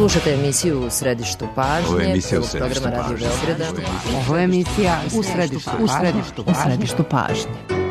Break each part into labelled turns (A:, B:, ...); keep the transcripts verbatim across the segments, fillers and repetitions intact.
A: Slušate emisiju U središtu pažnje, prvog programa Radio Beograda.
B: Ovo je emisija U središtu, u središtu, u središtu pažnje.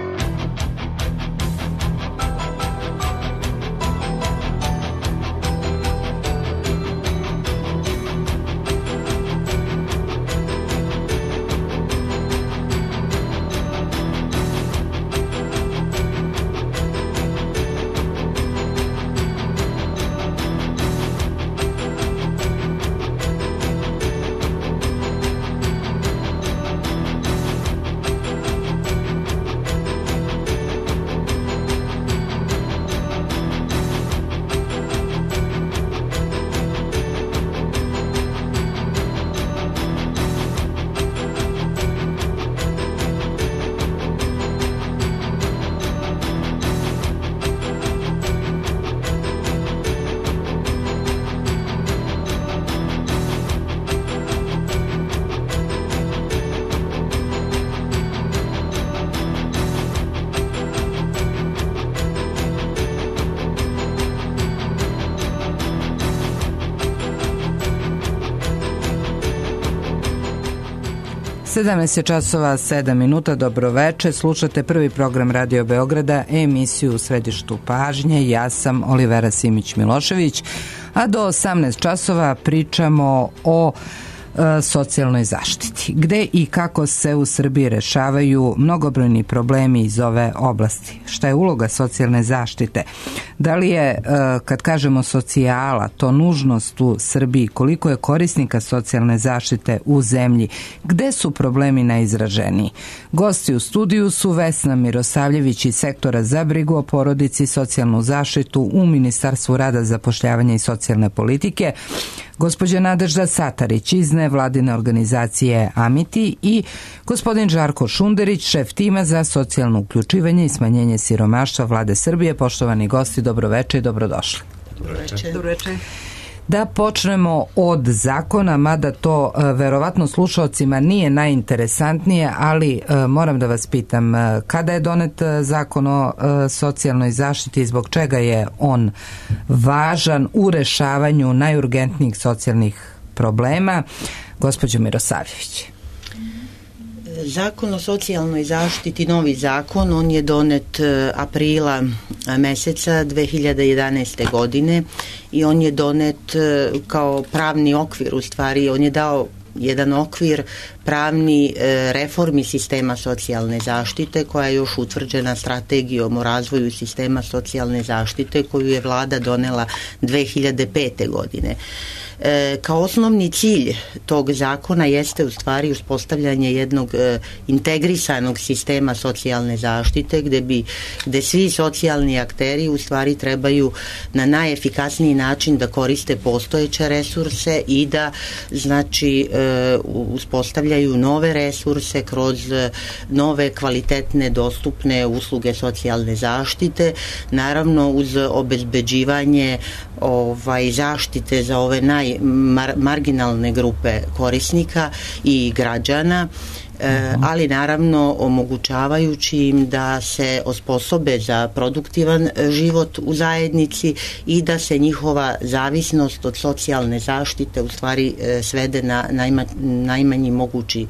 B: sedamnaest časova sedam minuta, dobroveče, slušate prvi program Radio Beograda, emisiju U središtu pažnje, ja sam Olivera Simić-Milošević, a do osamnaest časova pričamo o e, socijalnoj zaštiti, gde i kako se u Srbiji rešavaju mnogobrojni problemi iz ove oblasti. Šta je uloga socijalne zaštite? Da li je, e, kad kažemo socijala, to nužnost u Srbiji? Koliko je korisnika socijalne zaštite u zemlji? Gde su problemi najizraženiji? Gosti u studiju su Vesna Mirosavljević iz sektora za brigu o porodici i socijalnu zaštitu u Ministarstvu rada, zapošljavanja i socijalne politike, gospođa Nadežda Satarić iz nevladine organizacije Amiti i gospodin Žarko Šunderić, šef tima za socijalno uključivanje i smanjenje siromaštva Vlade Srbije. Poštovani gosti, dobroveče i dobrodošli.
C: Dobroveče. Dobroveče.
B: Da počnemo od zakona, mada to e, verovatno slušalcima nije najinteresantnije, ali e, moram da vas pitam, e, kada je donet e, zakon o e, socijalnoj zaštiti i zbog čega je on važan u rešavanju najurgentnijih socijalnih problema? Gospođo Mirosavljević.
C: Zakon o socijalnoj zaštiti, novi zakon, on je donet aprila meseca dve hiljade jedanaeste godine i on je donet kao pravni okvir, u stvari on je dao jedan okvir pravni reformi sistema socijalne zaštite koja je još utvrđena strategijom o razvoju sistema socijalne zaštite koju je vlada donela dve hiljade pete godine. E, kao osnovni cilj tog zakona jeste u stvari uspostavljanje jednog e, integrisanog sistema socijalne zaštite gde bi gde svi socijalni akteri u stvari trebaju na najefikasniji način da koriste postojeće resurse i da znači e, uspostavljaju nove resurse kroz nove kvalitetne dostupne usluge socijalne zaštite, naravno uz obezbeđivanje ovaj zaštite za ove naj Mar, marginalne grupe korisnika i građana, e, ali naravno omogućavajući im da se osposobe za produktivan život u zajednici i da se njihova zavisnost od socijalne zaštite u stvari e, svede na najma, najmanji mogući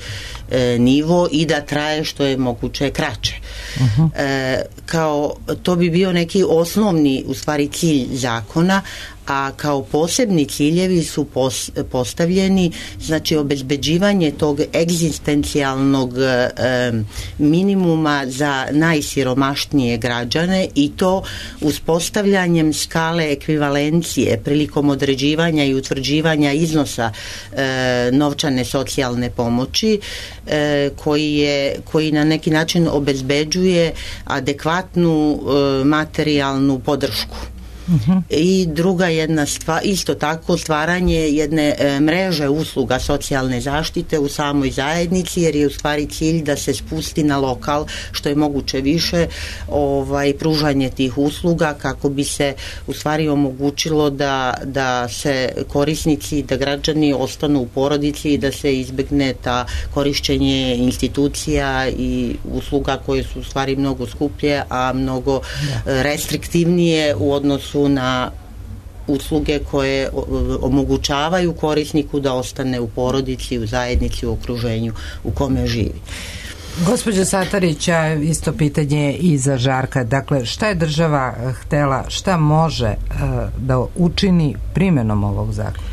C: e, nivo i da traje što je moguće kraće. Uh-huh. E, kao to bi bio neki osnovni u stvari cilj zakona, a kao posebni ciljevi su pos, postavljeni znači obezbeđivanje tog egzistencijalnog e, minimuma za najsiromašnije građane i to uspostavljanjem skale ekvivalencije prilikom određivanja i utvrđivanja iznosa e, novčane socijalne pomoći e, koji, je, koji na neki način obezbeđuje adekvatnu e, materijalnu podršku. Uh-huh. I druga jedna stvar, isto tako stvaranje jedne e, mreže usluga socijalne zaštite u samoj zajednici, jer je u stvari cilj da se spusti na lokal što je moguće više ovaj, pružanje tih usluga kako bi se u stvari omogućilo da, da se korisnici, da građani ostanu u porodici i da se izbegne ta korišćenje institucija i usluga koje su u stvari mnogo skuplje, a mnogo restriktivnije u odnosu na usluge koje omogućavaju korisniku da ostane u porodici, u zajednici, u okruženju u kome živi.
B: Gospođo Satarića, isto pitanje i za Žarka. Dakle, šta je država htela, šta može uh, da učini primjenom ovog zakona?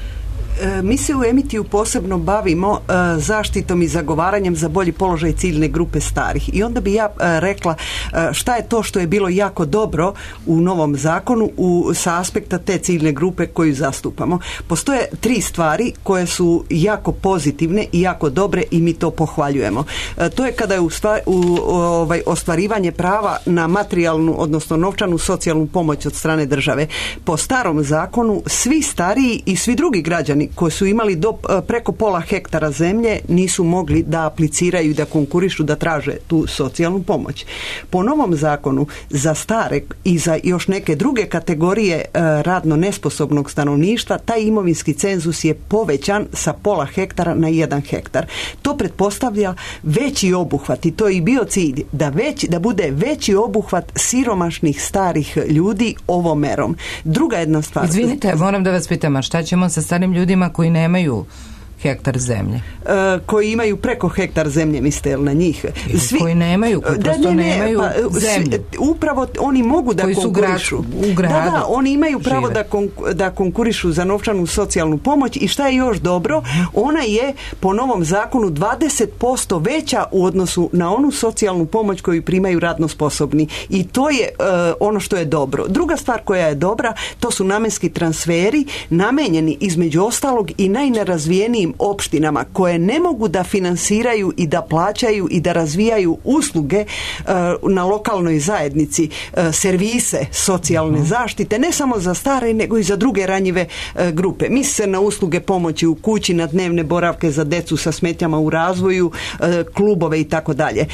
D: Mi se u Emitiju posebno bavimo uh, zaštitom i zagovaranjem za bolji položaj ciljne grupe starih. I onda bi ja uh, rekla uh, šta je to što je bilo jako dobro u novom zakonu u, sa aspekta te ciljne grupe koju zastupamo. Postoje tri stvari koje su jako pozitivne i jako dobre i mi to pohvaljujemo. Uh, to je kada je u stvar, u, ovaj, ostvarivanje prava na materijalnu, odnosno novčanu socijalnu pomoć od strane države. Po starom zakonu svi stariji i svi drugi građani koji su imali do, preko pola hektara zemlje nisu mogli da apliciraju i da konkurišu da traže tu socijalnu pomoć. Po novom zakonu za stare i za još neke druge kategorije e, radno nesposobnog stanovništva taj imovinski cenzus je povećan sa pola hektara na jedan hektar. To pretpostavlja veći obuhvat i to je i bio cilj da, već, da bude veći obuhvat siromašnih starih ljudi ovom merom. Druga jedna stvar.
B: Izvinite, moram da vas pitam, a šta ćemo sa starim ljudima koji nemaju hektar zemlje?
D: E, koji imaju preko hektar zemlje, mislite li na njih?
B: Svi, koji nemaju, koji prosto da, ne, ne, nemaju pa, zemlju.
D: Upravo oni mogu da
B: koji
D: konkurišu.
B: Su grad, u gradu
D: da, da, oni imaju pravo da, kon, da konkurišu za novčanu socijalnu pomoć i šta je još dobro, ona je po novom zakonu dvadeset posto veća u odnosu na onu socijalnu pomoć koju primaju radno sposobni. I to je uh, ono što je dobro. Druga stvar koja je dobra, to su namenski transferi namenjeni između ostalog i najnerazvijenijim opštinama koje ne mogu da finansiraju i da plaćaju i da razvijaju usluge uh, na lokalnoj zajednici, uh, servise socijalne zaštite, ne samo za stare nego i za druge ranjive uh, grupe. Misli se na usluge pomoći u kući, na dnevne boravke za decu sa smetnjama u razvoju, uh, klubove i tako dalje.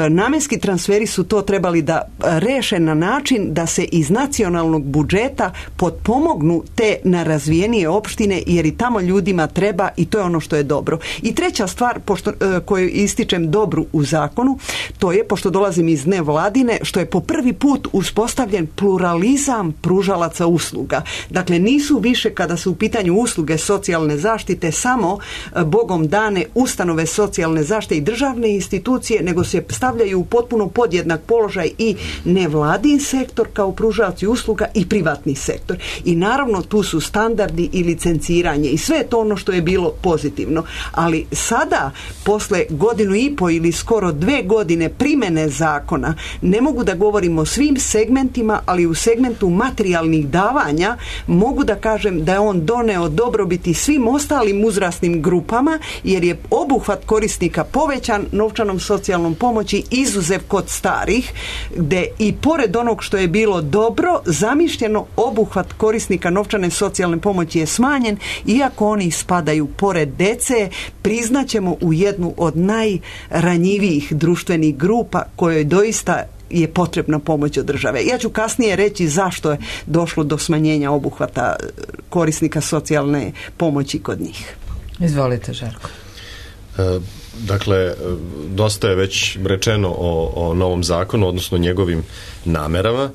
D: Namenski transferi su to trebali da reše na način da se iz nacionalnog budžeta potpomognu te nerazvijenije opštine jer i tamo ljudima treba i to je ono što je dobro. I treća stvar pošto, koju ističem dobru u zakonu, to je, pošto dolazim iz nevladine, što je po prvi put uspostavljen pluralizam pružalaca usluga. Dakle, nisu više kada su u pitanju usluge socijalne zaštite samo Bogom dane ustanove socijalne zaštite i državne institucije, nego se stavljaju u potpuno podjednak položaj i nevladin sektor kao pružaoci usluga i privatni sektor. I naravno tu su standardi i licenciranje i sve je to ono što je bilo pozitivno. Ali sada, posle godinu i po ili skoro dve godine primene zakona, ne mogu da govorim o svim segmentima, ali u segmentu materijalnih davanja mogu da kažem da je on doneo dobrobiti svim ostalim uzrasnim grupama, jer je obuhvat korisnika povećan novčanom socijalnom pomoći izuzev kod starih, gde i pored onog što je bilo dobro, zamišljeno obuhvat korisnika novčane socijalne pomoći je smanjen, iako oni spadaju pored dece, priznaćemo u jednu od najranjivijih društvenih grupa kojoj doista je potrebna pomoć od države. Ja ću kasnije reći zašto je došlo do smanjenja obuhvata korisnika socijalne pomoći kod njih.
B: Izvolite, Žarko.
E: E, dakle, dosta je već rečeno o, o novom zakonu, odnosno njegovim namerama.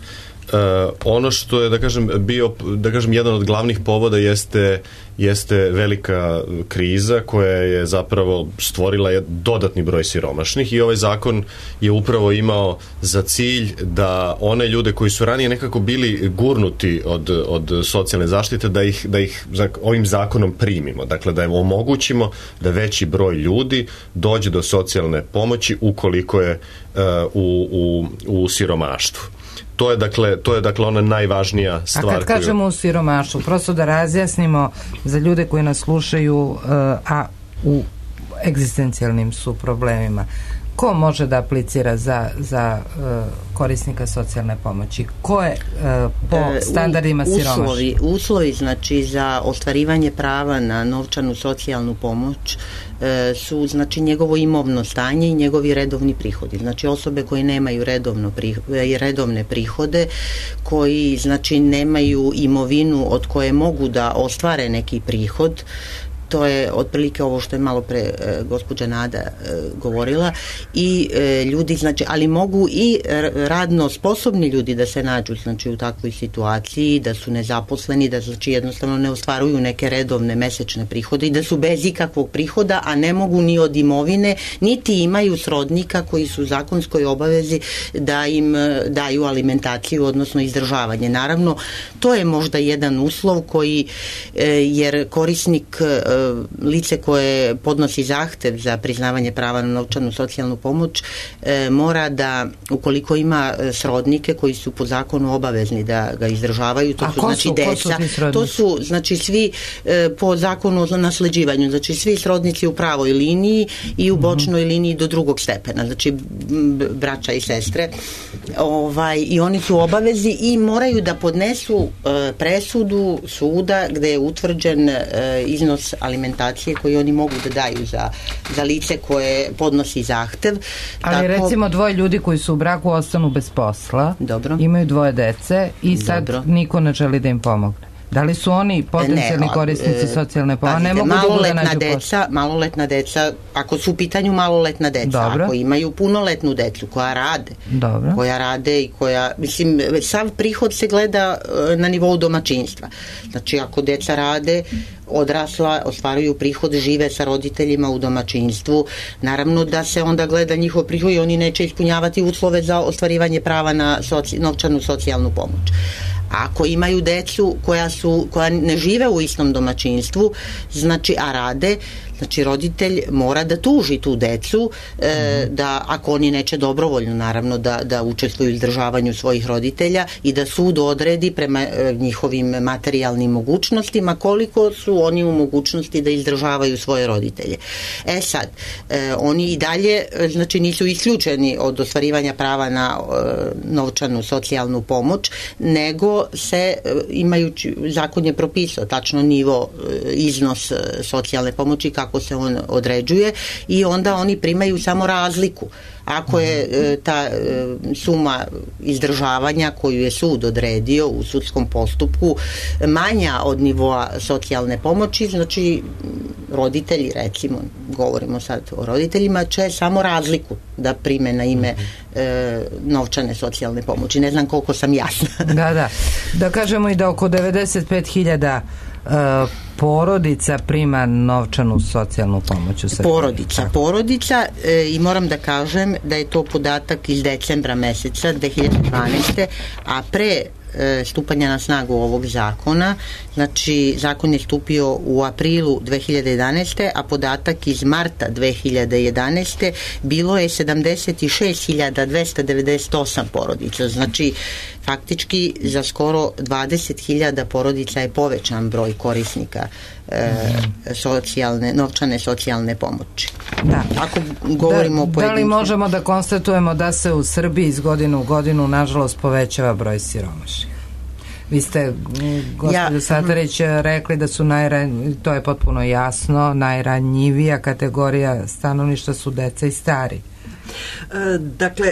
E: Uh, ono što je, da kažem, bio, da kažem, jedan od glavnih povoda jeste, jeste velika kriza koja je zapravo stvorila dodatni broj siromašnih i ovaj zakon je upravo imao za cilj da one ljude koji su ranije nekako bili gurnuti od, od socijalne zaštite, da ih, da ih ovim zakonom primimo. Dakle, da im omogućimo da veći broj ljudi dođe do socijalne pomoći ukoliko je uh, u, u, u siromaštvu. To je dakle, to je dakle ona najvažnija stvar.
B: A kad kažemo koju... u siromaštvu, prosto da razjasnimo za ljude koji nas slušaju, uh, a u egzistencijalnim su problemima. Ko može da aplicira za, za uh, korisnika socijalne pomoći? Ko je uh, po standardima siromašni?
C: Uslovi, uslovi znači za ostvarivanje prava na novčanu socijalnu pomoć uh, su znači njegovo imovno stanje i njegovi redovni prihodi. Znači osobe koje nemaju redovno prihode, redovne prihode, koji znači nemaju imovinu od koje mogu da ostvare neki prihod, to je otprilike ovo što je malo pre e, gospođa Nada e, govorila i e, ljudi, znači, ali mogu i radno sposobni ljudi da se nađu, znači, u takvoj situaciji, da su nezaposleni, da, znači, jednostavno ne ostvaruju neke redovne mesečne prihode i da su bez ikakvog prihoda, a ne mogu ni od imovine, niti imaju srodnika koji su u zakonskoj obavezi da im daju alimentaciju, odnosno izdržavanje. Naravno, to je možda jedan uslov koji, jer korisnik, lice koje podnosi zahtev za priznavanje prava na novčanu socijalnu pomoć, mora da, ukoliko ima srodnike koji su po zakonu obavezni da ga izdržavaju, to
B: A
C: su,
B: ko
C: znači,
B: su,
C: deca,
B: su
C: to su, znači, svi po zakonu o nasleđivanju, znači, svi srodnici u pravoj liniji i u bočnoj liniji do drugog stepena, znači, braća i sestre, ovaj, i oni su obavezi i moraju da podnesu e, presudu suda gde je utvrđen e, iznos alimentacije koji oni mogu da daju za, za lice koje podnosi zahtev.
B: Ali tako, recimo dvoje ljudi koji su u braku ostanu bez posla,
C: dobro,
B: imaju dvoje dece i sad
C: dobro,
B: niko ne želi da im pomogne. Da li su oni potencijalni
C: ne,
B: korisnici socijalne pomoći? Ne mogu
C: maloletna
B: da nađu
C: deca, maloletna deca, ako su u pitanju maloletna deca,
B: dobro,
C: ako imaju punoletnu decu koja rade,
B: dobro,
C: koja rade i koja, mislim, sav prihod se gleda na nivou domaćinstva. Znači, ako deca rade, odrasla, ostvaruju prihod, žive sa roditeljima u domaćinstvu, naravno da se onda gleda njihov prihod i oni neće ispunjavati uslove za ostvarivanje prava na soci, novčanu socijalnu pomoć. Ako imaju decu koja su, koja ne žive u istom domaćinstvu, znači, a rade, znači, roditelj mora da tuži tu decu, e, da, ako oni neće dobrovoljno, naravno, da, da učestvuju u izdržavanju svojih roditelja i da sud odredi prema e, njihovim materijalnim mogućnostima koliko su oni u mogućnosti da izdržavaju svoje roditelje. E sad, e, oni i dalje, znači, nisu isključeni od ostvarivanja prava na e, novčanu socijalnu pomoć, nego se, e, imajući, zakon je propisao tačno nivo, e, iznos e, socijalne pomoći, kako se on određuje, i onda oni primaju samo razliku. Ako je e, ta e, suma izdržavanja koju je sud odredio u sudskom postupku manja od nivoa socijalne pomoći, znači, roditelji, recimo, govorimo sad o roditeljima, će samo razliku da prime na ime e, novčane socijalne pomoći. Ne znam koliko sam jasna.
B: Da, da. Da kažemo i da oko devedeset pet hiljada Uh, porodica prima novčanu socijalnu pomoć u Srbiji.
C: Porodica, porodica e, i moram da kažem da je to podatak iz decembra meseca dve hiljade dvanaeste. a pre e, stupanja na snagu ovog zakona, znači, zakon je stupio u aprilu dve hiljade jedanaeste. a podatak iz marta dve hiljade jedanaeste. bilo je sedamdeset šest hiljada dvesta devedeset osam porodica, znači, faktički za skoro dvadeset hiljada porodica je povećan broj korisnika e, socijalne, novčane socijalne pomoći.
B: Da.
C: Ako govorimo
B: da,
C: o pojedincu.
B: Da li možemo da konstatujemo da se u Srbiji iz godine u godinu, nažalost, povećava broj siromašnih? Vi ste, gospođo ja, Satarić, rekli da su najran, to je potpuno jasno, najranjivija kategorija stanovništva su deca i stari.
D: Dakle,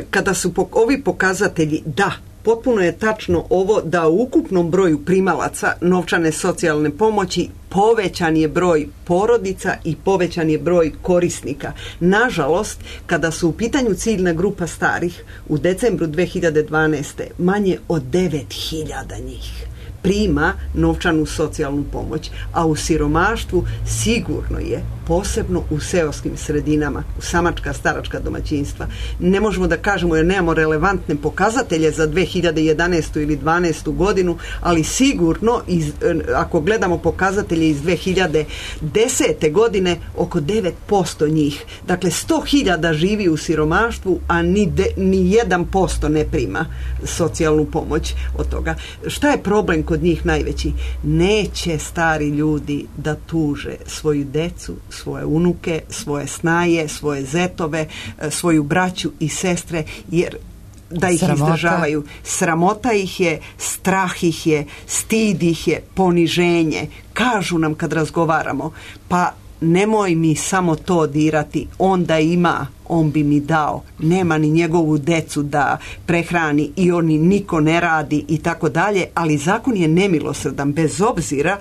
D: kada su ovi pokazatelji, da, potpuno je tačno ovo da u ukupnom broju primalaca novčane socijalne pomoći povećan je broj porodica i povećan je broj korisnika. Nažalost, kada su u pitanju ciljna grupa starih, u decembru dve hiljade dvanaeste. manje od devet hiljada njih prima novčanu socijalnu pomoć, a u siromaštvu sigurno je, posebno u seoskim sredinama, u samačka, staračka domaćinstva. Ne možemo da kažemo jer nemamo relevantne pokazatelje za dve hiljade jedanaestu ili dvanaestu godinu, ali sigurno, iz, ako gledamo pokazatelje iz dve hiljade desete. godine, oko devet posto njih. Dakle, sto hiljada živi u siromaštvu, a ni, de, ni jedan posto ne prima socijalnu pomoć od toga. Šta je problem kod njih najveći? Neće stari ljudi da tuže svoju decu, svoje unuke, svoje snaje, svoje zetove, svoju braću i sestre, jer da ih Sramota. izdržavaju. Sramota ih je, strah ih je, stid ih je, poniženje. Kažu nam kad razgovaramo, pa nemoj mi samo to dirati, onda ima, on bi mi dao. Nema ni njegovu decu da prehrani i oni niko ne radi i tako dalje, ali zakon je nemilosrdan bez obzira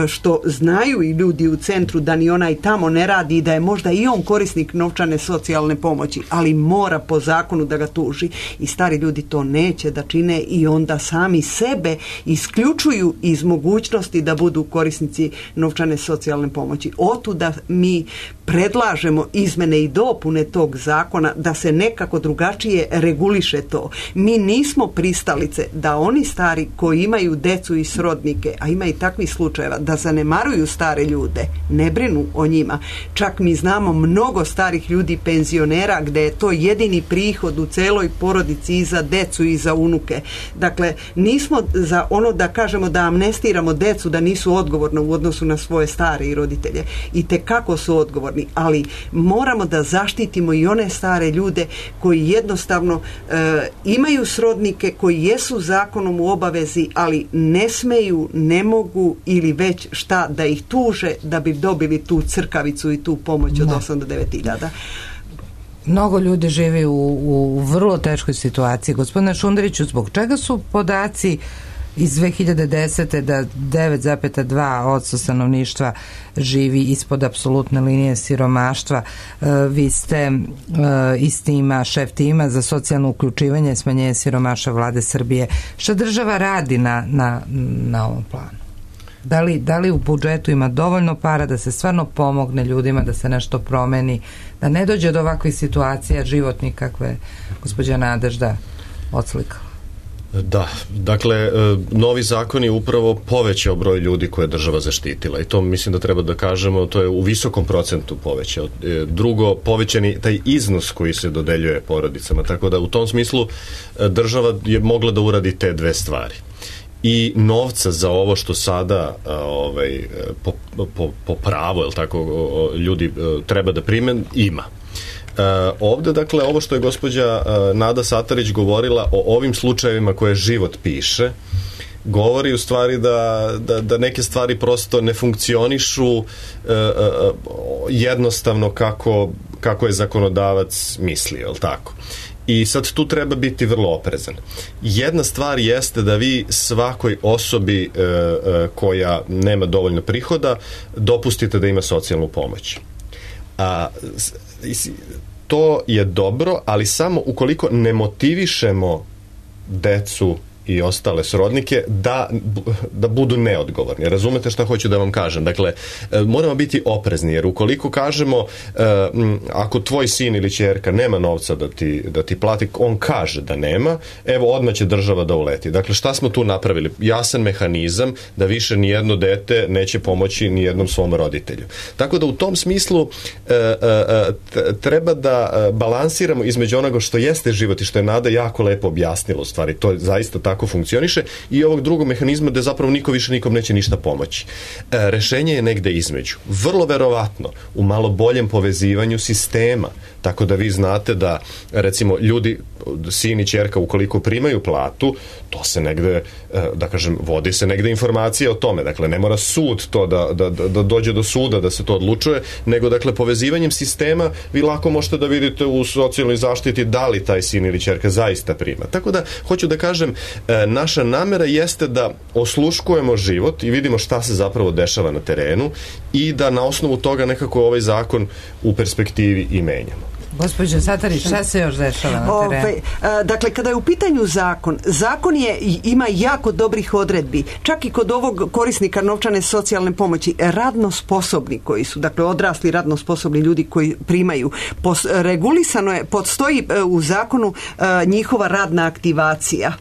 D: što znaju i ljudi u centru da ni onaj tamo ne radi i da je možda i on korisnik novčane socijalne pomoći, ali mora po zakonu da ga tuži i stari ljudi to neće da čine i onda sami sebe isključuju iz mogućnosti da budu korisnici novčane socijalne pomoći. Otuda mi predlažemo izmene i dopune tog zakona da se nekako drugačije reguliše to. Mi nismo pristalice da oni stari koji imaju decu i srodnike, a ima i takvih slučajeva, da zanemaruju stare ljude, ne brinu o njima. Čak mi znamo mnogo starih ljudi, penzionera, gde je to jedini prihod u celoj porodici i za decu i za unuke. Dakle, nismo za ono da kažemo da amnestiramo decu da nisu odgovorni u odnosu na svoje stare i roditelje. I tekako su odgovorni, ali moramo da zaštitimo i one stare ljude koji jednostavno e, imaju srodnike, koji jesu zakonom u obavezi, ali ne smeju, ne mogu ili već šta da ih tuže da bi dobili tu crkavicu i tu pomoć od osam do devet hiljada.
B: Mnogo ljudi živi u, u vrlo teškoj situaciji. Gospodine Šunderiću, zbog čega su podaci iz dve hiljade desete da devet zarez dva posto stanovništva živi ispod apsolutne linije siromaštva? E, vi ste e, iz tima, šef tima za socijalno uključivanje i smanjenje siromaštva Vlade Srbije. Šta država radi na, na, na ovom planu? Da li, da li u budžetu ima dovoljno para da se stvarno pomogne ljudima, da se nešto promeni, da ne dođe do ovakvih situacija životnih kakve gospođa Nadežda odslikala?
E: Da, dakle, novi zakon je upravo povećao broj ljudi koje je država zaštitila i to mislim da treba da kažemo, to je u visokom procentu povećao. Drugo, povećan je taj iznos koji se dodeljuje porodicama, tako da u tom smislu država je mogla da uradi te dve stvari. I novca za ovo što sada ovaj, po, po, po pravu, jel tako, ljudi treba da prime, ima. Uh, ovde, dakle, ovo što je gospođa uh, Nada Satarić govorila o ovim slučajevima koje život piše, govori u stvari da, da, da neke stvari prosto ne funkcionišu uh, uh, jednostavno kako, kako je zakonodavac mislio, jel tako? I sad tu treba biti vrlo oprezan. Jedna stvar jeste da vi svakoj osobi e, e, koja nema dovoljno prihoda dopustite da ima socijalnu pomoć. A, to je dobro, ali samo ukoliko ne motivišemo decu i ostale srodnike da, da budu neodgovorni. Razumete šta hoću da vam kažem? Dakle, moramo biti oprezni, jer ukoliko kažemo ako tvoj sin ili ćerka nema novca da ti, da ti plati, on kaže da nema, evo odmah će država da uleti. Dakle, šta smo tu napravili? Jasan mehanizam da više nijedno dete neće pomoći nijednom svom roditelju. Tako da u tom smislu treba da balansiramo između onoga što jeste život i što je Nada jako lepo objasnila u stvari. To je zaista tako funkcioniše i ovog drugog mehanizma gde zapravo niko više nikom neće ništa pomoći. E, rešenje je negde između. Vrlo verovatno u malo boljem povezivanju sistema, tako da vi znate da recimo ljudi, sin i ćerka ukoliko primaju platu, to se negde, da kažem, vodi se negde informacija o tome. Dakle, ne mora sud to da, da, da dođe do suda da se to odlučuje, nego dakle povezivanjem sistema vi lako možete da vidite u socijalnoj zaštiti da li taj sin ili ćerka zaista prima. Tako da, hoću da kažem, naša namera jeste da osluškujemo život i vidimo šta se zapravo dešava na terenu i da na osnovu toga nekako ovaj zakon u perspektivi i menjamo.
B: Gospođo Satarić, šta se još dešava na terenu?
D: Ove, dakle, kada je u pitanju zakon, zakon je, ima jako dobrih odredbi. Čak i kod ovog korisnika novčane socijalne pomoći, radno sposobni koji su, dakle, odrasli radno sposobni ljudi koji primaju, pos, regulisano je, podstoji u zakonu njihova radna aktivacija,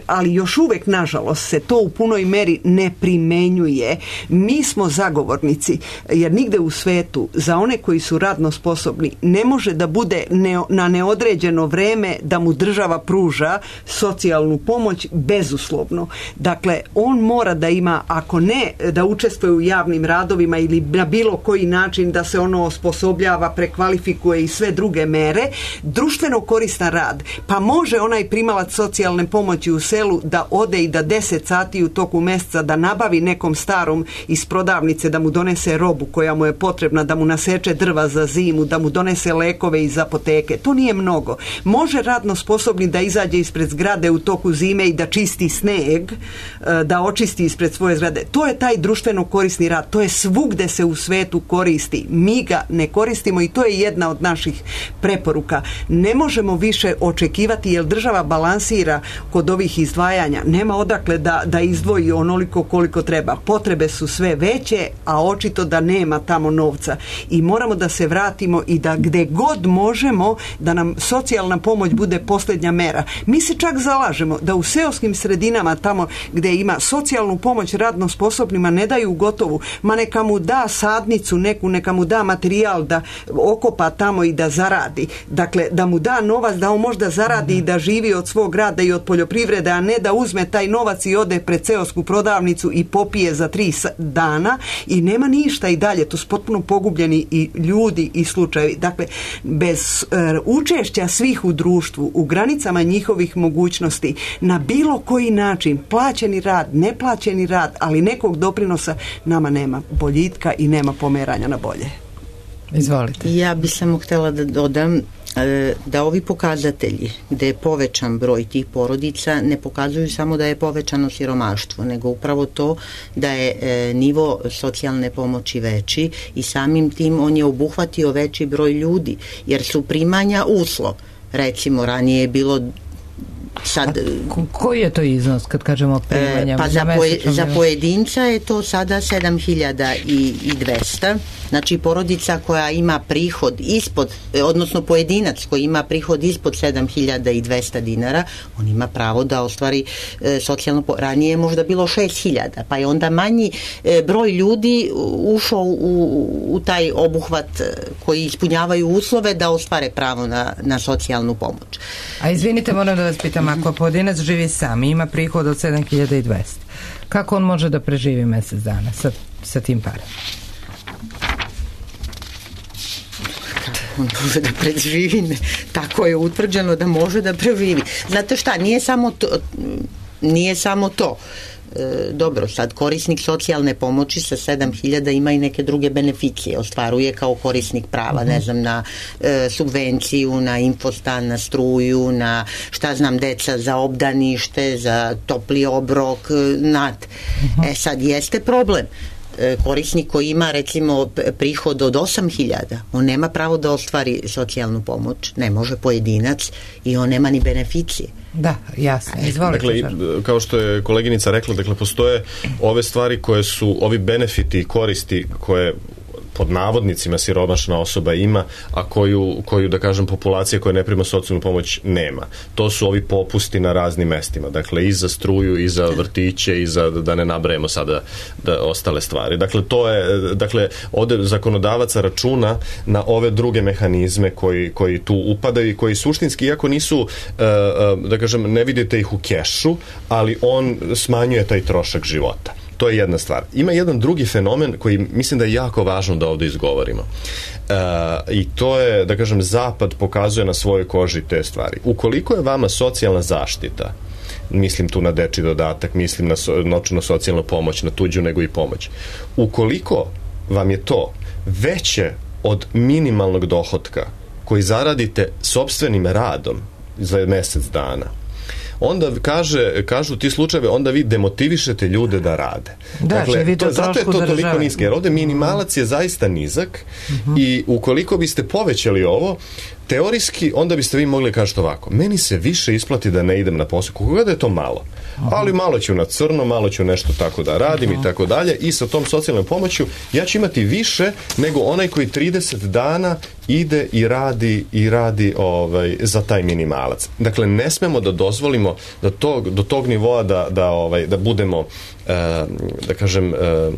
D: ali još uvek, nažalost, se to u punoj meri ne primenjuje. Mi smo zagovornici, jer nigde u svetu za one koji su radno sposobni ne može da bude ne, na neodređeno vreme da mu država pruža socijalnu pomoć bezuslovno. Dakle, on mora da ima, ako ne da učestvuje u javnim radovima ili na bilo koji način da se ono osposobljava, prekvalifikuje i sve druge mere, društveno koristan rad. Pa može onaj primalac socijalne pomoći u selu da ode i da deset sati u toku meseca da nabavi nekom starom iz prodavnice da mu donese robu koja mu je potrebna, da mu naseče drva za zimu, da mu donese lekove iz iz apoteke. To nije mnogo. Može radno sposobni da izađe ispred zgrade u toku zime i da čisti sneg, da očisti ispred svoje zgrade. To je taj društveno korisni rad. To je svugde se u svetu koristi. Mi ga ne koristimo i to je jedna od naših preporuka. Ne možemo više očekivati jer država balansira kod ovih izdvajanja. Nema odakle da, da izdvoji onoliko koliko treba. Potrebe su sve veće, a očito da nema tamo novca. I moramo da se vratimo i da gde god možemo da nam socijalna pomoć bude posljednja mera. Mi se čak zalažemo da u seoskim sredinama tamo gde ima socijalnu pomoć radno sposobnima ne daju gotovu, ma neka mu da sadnicu neku, neka mu da materijal da okopa tamo i da zaradi. Dakle, da mu da novac da on možda zaradi i da živi od svog rada i od poljoprivrede, a ne da uzme taj novac i ode pred seosku prodavnicu i popije za tri dana i nema ništa i dalje. To su potpuno pogubljeni i ljudi i slučajevi. Dakle, bez uh, učešća svih u društvu, u granicama njihovih mogućnosti, na bilo koji način, plaćeni rad, neplaćeni rad, ali nekog doprinosa, nama nema boljitka i nema pomeranja na bolje.
B: Izvolite.
C: Ja bih samo htjela da dodam da ovi pokazatelji gde je povećan broj tih porodica ne pokazuju samo da je povećano siromaštvo, nego upravo to da je e, nivo socijalne pomoći veći i samim tim on je obuhvatio veći broj ljudi, jer su primanja uslov. Recimo, ranije je bilo sad,
B: ko, koji je to iznos kad kažemo primanja?
C: E, pa za, poje, za pojedinca je to sada sedam hiljada dvesta. Znači porodica koja ima prihod ispod, odnosno pojedinac koji ima prihod ispod sedam hiljada dvesta dinara, on ima pravo da ostvari e, socijalno, ranije je možda bilo šest hiljada, pa je onda manji e, broj ljudi ušao u, u taj obuhvat koji ispunjavaju uslove da ostvare pravo na, na socijalnu pomoć.
B: A izvinite, moram da vas pitam, ako pojedinac živi sam i ima prihod od sedam hiljada dvesta, kako on može da preživi mjesec dana sa, sa tim parama?
C: On može da preživi, tako je utvrđeno da može da preživi. Znate šta, nije samo to, nije samo to. E, dobro, sad korisnik socijalne pomoći sa sedam hiljada ima i neke druge beneficije, ostvaruje kao korisnik prava, ne znam, na e, subvenciju, na infostan, na struju, na šta znam, deca za obdanište, za topli obrok, nat. E sad, jeste problem. Korisnik koji ima recimo prihod od osam hiljada, on nema pravo da ostvari socijalnu pomoć, ne može pojedinac i on nema ni beneficije.
B: Da, jasno. Izvolite.
E: Dakle, kao što je koleginica rekla, dakle, postoje ove stvari koje su, ovi benefiti i koristi koje pod navodnicima siromašna osoba ima, a koju, koju da kažem populacija koja ne prima socijalnu pomoć nema. To su ovi popusti na raznim mestima, dakle i za struju, i za vrtiće, i za, da ne nabrajemo sada da, ostale stvari. Dakle, to je, dakle, ovde zakonodavaca računa na ove druge mehanizme koji, koji tu upadaju i koji suštinski, iako nisu, da kažem, ne vidite ih u kešu, ali on smanjuje taj trošak života. To je jedna stvar. Ima jedan drugi fenomen koji mislim da je jako važno da ovdje izgovorimo. E, I to je, da kažem, Zapad pokazuje na svojoj koži te stvari. Ukoliko je vama socijalna zaštita, mislim tu na dečji dodatak, mislim na so, novčanu socijalnu pomoć, na tuđu nego i pomoć, ukoliko vam je to veće od minimalnog dohotka koji zaradite sopstvenim radom za mjesec dana, onda kaže, kažu ti slučajeve, onda vi demotivišete ljude da rade.
B: Da,
E: dakle, to, zato je to države. Toliko nisko, jer ovdje minimalac je zaista nizak uh-huh. i ukoliko biste povećali ovo, teorijski, onda biste vi mogli kažete ovako, meni se više isplati da ne idem na posao, koga da je to malo, ali malo ću na crno, malo ću nešto tako da radim uh-huh. i tako dalje, i sa tom socijalnom pomoću ja ću imati više nego onaj koji trideset dana ide i radi i radi ovaj, za taj minimalac. Dakle, ne smemo da dozvolimo da tog, do tog nivoa da, da, ovaj, da budemo, eh, da kažem, eh,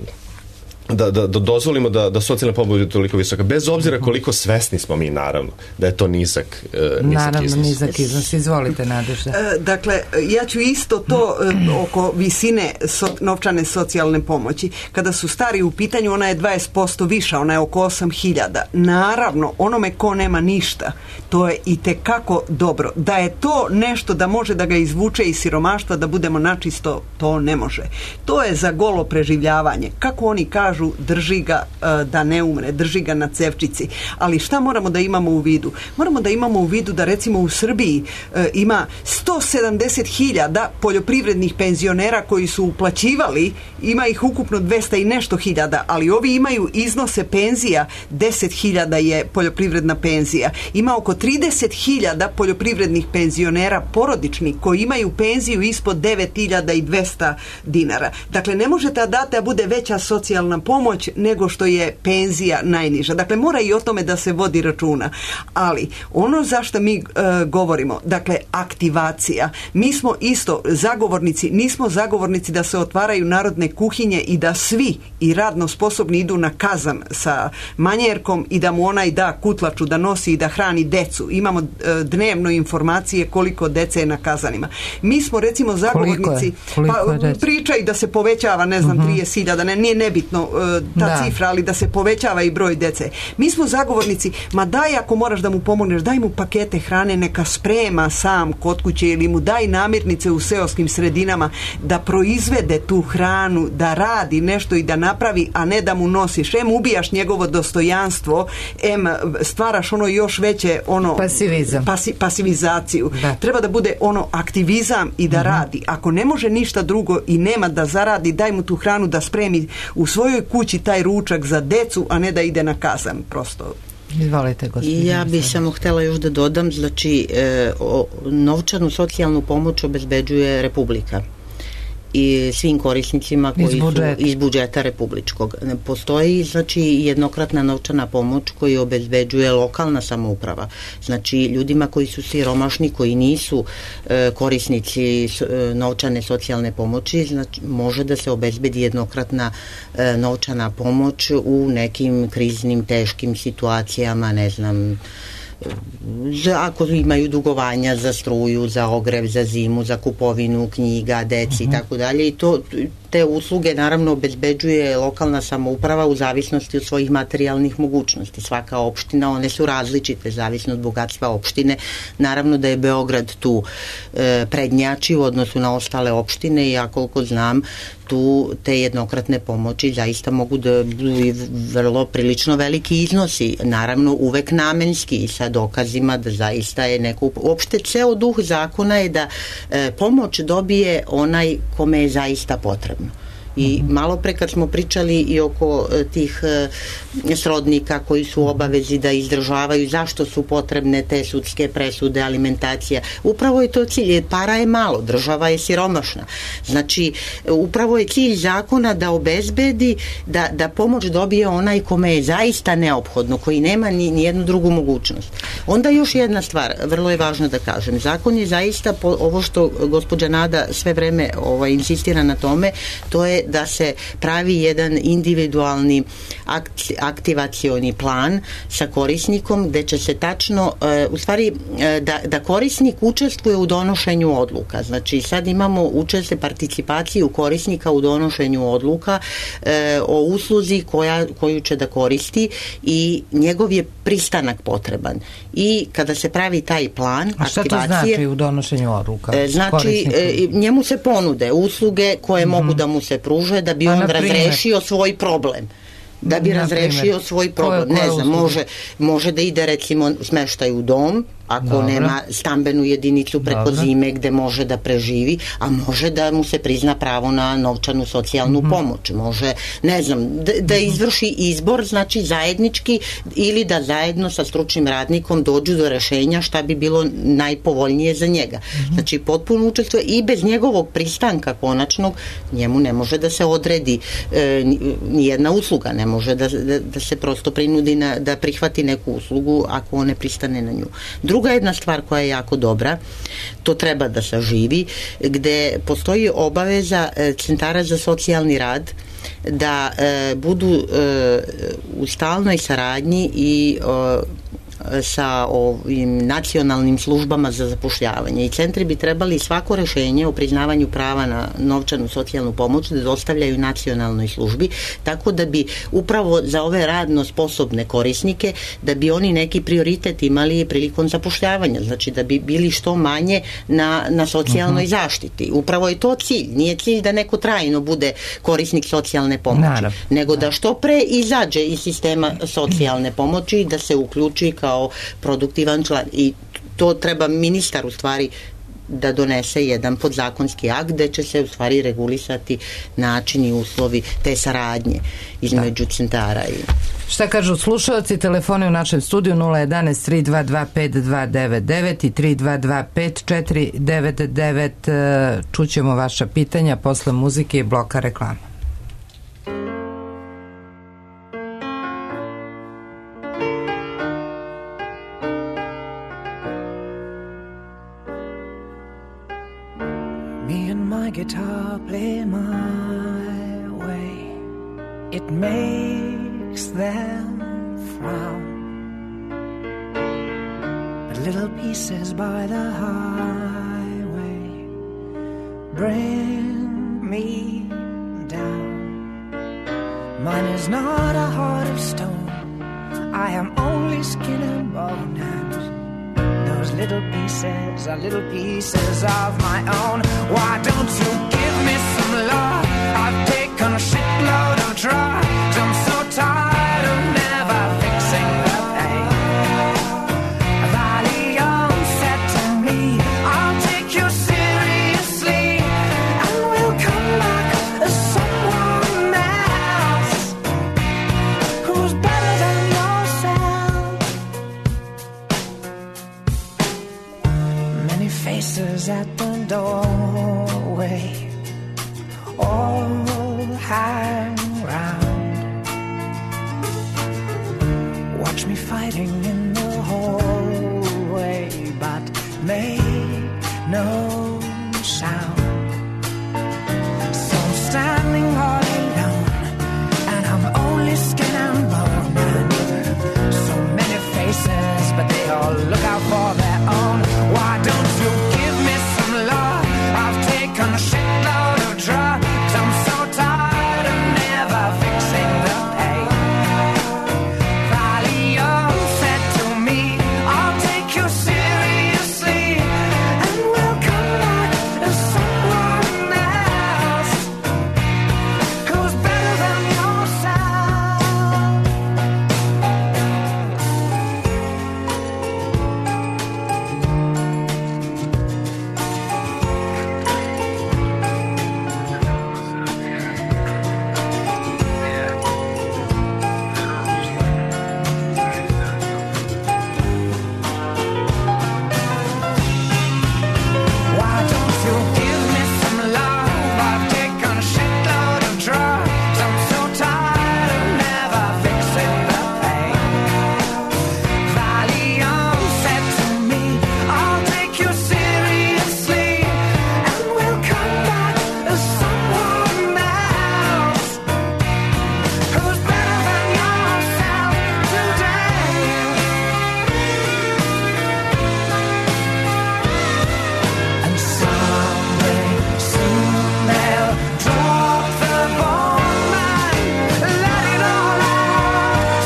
E: Da, da, da dozvolimo da, da socijalna pomoć bude toliko visoka, bez obzira koliko svesni smo mi, naravno, da je to nizak, e, nizak
B: naravno,
E: iznos.
B: nizak iznos. Izvolite, Nadežda.
D: E, dakle, ja ću isto to e, oko visine so, novčane socijalne pomoći. Kada su stari u pitanju, ona je dvadeset posto viša, ona je oko osam hiljada. Naravno, onome ko nema ništa, to je i tekako dobro. Da je to nešto da može da ga izvuče iz siromaštva, da budemo načisto, to ne može. To je za golo preživljavanje. Kako oni kažu, kažu drži ga da ne umre, drži ga na cevčici. Ali šta moramo da imamo u vidu? Moramo da imamo u vidu da recimo u Srbiji ima sto sedamdeset hiljada poljoprivrednih penzionera koji su uplaćivali, ima ih ukupno dvesta i nešto hiljada, ali ovi imaju iznose penzija, deset hiljada je poljoprivredna penzija. Ima oko trideset hiljada poljoprivrednih penzionera porodičnih koji imaju penziju ispod devet hiljada dvesta dinara. Dakle, ne možete da date da bude veća socijalna pomoć nego što je penzija najniža. Dakle, mora i o tome da se vodi računa. Ali, ono zašto mi e, govorimo, dakle, aktivacija. Mi smo isto zagovornici, nismo zagovornici da se otvaraju narodne kuhinje i da svi i radno sposobni idu na kazan sa manjerkom i da mu onaj da kutlaču da nosi i da hrani decu. Imamo e, dnevno informacije koliko dece je na kazanima. Mi smo recimo zagovornici, pa pričaju da se povećava, ne znam, uh-huh. trideset hiljada, ne, nije nebitno uh, ta da. cifra, ali da se povećava i broj dece. Mi smo zagovornici, ma daj ako moraš da mu pomogneš, daj mu pakete hrane, neka sprema sam kod kuće ili mu daj namirnice u seoskim sredinama da proizvede tu hranu, da radi nešto i da napravi, a ne da mu nosiš. Em ubijaš njegovo dostojanstvo, em stvaraš ono još veće ono
B: pasivizam.
D: Pasi, pasivizaciju. Da. Treba da bude ono aktivizam i da uh-huh. radi. Ako ne može ništa drugo i nema da zaradi, daj mu tu hranu da spremi u svojoj kući taj ručak za decu, a ne da ide na kazan, prosto.
B: Izvolite, gospođo.
C: Ja bih samo htjela još da dodam, znači e, o, novčanu socijalnu pomoć obezbeđuje Republika i svim korisnicima koji iz budžeta. su iz budžeta republičkog. Postoji znači jednokratna novčana pomoć koju obezbeđuje lokalna samouprava. Znači ljudima koji su siromašni, koji nisu e, korisnici e, novčane socijalne pomoći, znači može da se obezbedi jednokratna e, novčana pomoć u nekim kriznim, teškim situacijama, ne znam, za, ako imaju dugovanja za struju, za ogrev, za zimu, za kupovinu knjiga, deci i tako dalje, i to te usluge naravno obezbeđuje lokalna samouprava u zavisnosti od svojih materijalnih mogućnosti. Svaka opština, one su različite, zavisno od bogatstva opštine. Naravno da je Beograd tu e, prednjači u odnosu na ostale opštine i ja koliko znam tu te jednokratne pomoći zaista mogu da budu i vrlo prilično veliki iznosi, naravno uvek namenski i sa dokazima da zaista je neko, uopšte ceo duh zakona je da e, pomoć dobije onaj kome je zaista potrebno. I malo pre kad smo pričali i oko tih e, srodnika koji su u obavezi da izdržavaju, zašto su potrebne te sudske presude, alimentacija, upravo je to cilj, para je malo, država je siromašna. Znači, upravo je cilj zakona da obezbedi da, da pomoć dobije onaj kome je zaista neophodno, koji nema ni, ni jednu drugu mogućnost. Onda još jedna stvar, vrlo je važno da kažem, zakon je zaista, po, ovo što gospođa Nada sve vreme ovaj, insistira na tome, to je da se pravi jedan individualni aktivacioni plan sa korisnikom gde će se tačno, u stvari da, da korisnik učestvuje u donošenju odluka. Znači sad imamo učestvuje participaciju korisnika u donošenju odluka e, o usluzi koja, koju će da koristi i njegov je pristanak potreban. I kada se pravi taj plan
B: a šta
C: aktivacije,
B: to znači u donošenju odluka?
C: E, znači e, njemu se ponude usluge koje mm-hmm. mogu da mu se pruže da bi on razrešio svoj problem. Da bi razrešio svoj problem. Koje, koje ne znam, može, može da ide recimo smeštaj u dom, ako Dobro. nema stambenu jedinicu preko Dobro. zime gde može da preživi, a može da mu se prizna pravo na novčanu socijalnu mm-hmm. pomoć. Može, ne znam, da, da izvrši izbor, znači zajednički, ili da zajedno sa stručnim radnikom dođu do rešenja šta bi bilo najpovoljnije za njega. Mm-hmm. Znači potpuno učestvuje i bez njegovog pristanka konačnog njemu ne može da se odredi e, nijedna usluga, ne može da, da, da se prosto prinudi na, da prihvati neku uslugu ako on ne pristane na nju. Druga jedna stvar koja je jako dobra, to treba da saživi, gde postoji obaveza centara za socijalni rad da e, budu e, u stalnoj saradnji i e, sa ovim nacionalnim službama za zapošljavanje i centri bi trebali svako rešenje o priznavanju prava na novčanu socijalnu pomoć da dostavljaju nacionalnoj službi, tako da bi upravo za ove radno sposobne korisnike, da bi oni neki prioritet imali prilikom zapošljavanja, znači da bi bili što manje na, na socijalnoj uh-huh. zaštiti. Upravo je to cilj. Nije cilj da neko trajno bude korisnik socijalne pomoći, Naravno. nego da što pre izađe iz sistema socijalne pomoći i da se uključi kao produktivan član. I to treba ministar u stvari da donese jedan podzakonski akt gde će se u stvari regulisati način i uslovi te saradnje između da. centara i...
B: Šta kažu slušalci? Telefoni u našem studiju nula jedanaest tri dva dva pet dva devet devet i tri dva dva pet četiri devet devet. Čućemo vaša pitanja posle muzike i bloka reklama.
F: Guitar play my way, it makes them frown, but little pieces by the highway bring me down. Mine is not a heart of stone, I am only skin and bone, and those little pieces are little pieces of my own. Why don't you give me some love? I've taken a shitload of drugs. I'm so tired of never fixing the pain. Valium said to me, I'll take you seriously, and we'll come back as someone else who's better than yourself. Many faces at the doorway, all hang round. Watch me fighting in the hallway, but make no sound. So I'm standing all alone, and I'm only skin and bone. And so many faces, but they all look out for their own. Why don't you give me some love? I've taken a shitload of drugs. I'm so tired of never fixing the pain. Valium said to me, I'll take you seriously, and we'll come back as someone else who's better than yourself. Why don't you give me some love? I've taken a shitload of drugs. I'm so tired of never fixing the pain. Valium said to me, I'll take you seriously, and we'll come back as someone else who's better than yourself today. And someday, soon they'll drop the bomb and let it all out.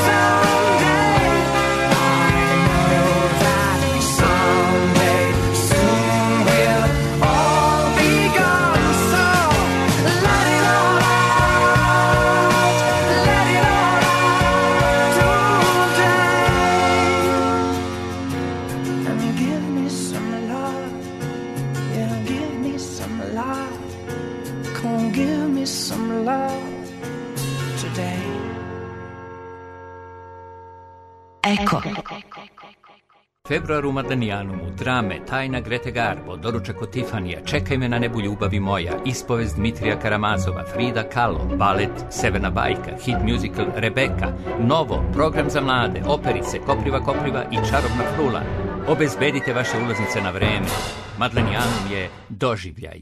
F: Someday, I know that someday, soon we'll all be gone. So let it all out, let it all out today. And give me some love, yeah, give me some love. Come on, give me some love today.
G: Eko.
H: Februar u Madanijanumu, drame, tajna Grete Garbo, doručak od Tifanija, Čekaj me na nebu ljubavi moja, ispovest Dmitrija Karamazova, Frida Kahlo, balet Severna bajka, hit musical Rebeka, Novo, program za mlade, operice, Kopriva Kopriva i Čarobna frula. Obezbedite vaše ulaznice na vreme. Madanijanum je doživljaj.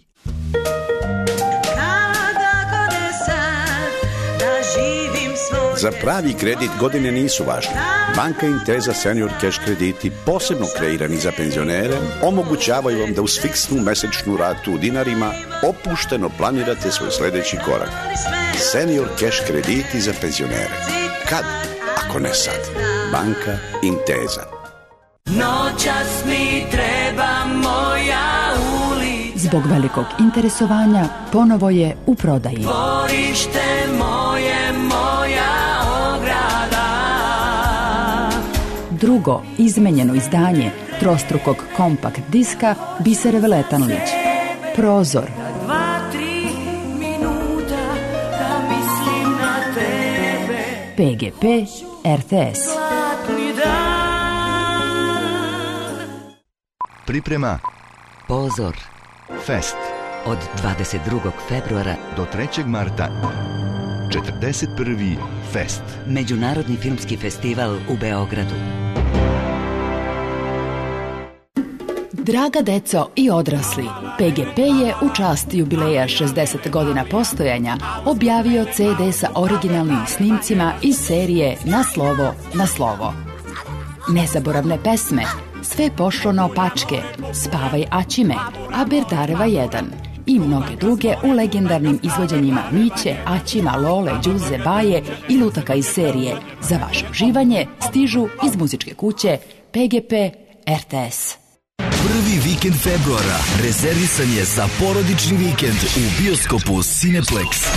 I: Kada god je sad da živim svoj Za pravi kredit godine nisu važne. Banka Intesa Senior Cash krediti, posebno kreirani za penzionere, omogućavaju vam da uz fiksnu mesečnu ratu u dinarima opušteno planirate svoj sljedeći korak. Senior Cash krediti za penzionere. Kad, ako ne sad? Banka Intesa.
F: Noćas mi treba moja ulica.
J: Zbog velikog interesovanja ponovo je u prodaji.
F: Dvorište moje, moja ograda.
J: Drugo izmenjeno izdanje trostrukog kompakt diska Bisere Veletanović. Prozor.
F: Dva, tri minuta da mislim na tebe.
J: P G P R T S.
K: Priprema
L: Pozor
K: Fest
L: od dvadeset drugog februara
K: do trećeg marta. četrdeset prvi Fest,
L: Međunarodni filmski festival u Beogradu.
J: Draga deco i odrasli, P G P je u čast jubileja šezdeset godina postojanja objavio C D sa originalnim snimcima iz serije Na slovo, na slovo. Nezaboravne pesme, Sve pošlo naopačke, Spavaj Aćime, Aberdareva jedan i mnoge druge u legendarnim izvođenjima Miće, Aćima, Lole, Đuze, Baje i lutaka iz serije. Za vaše uživanje stižu iz muzičke kuće P G P R T S.
M: Prvi vikend februara rezervisan je za porodični vikend u bioskopu Cineplex.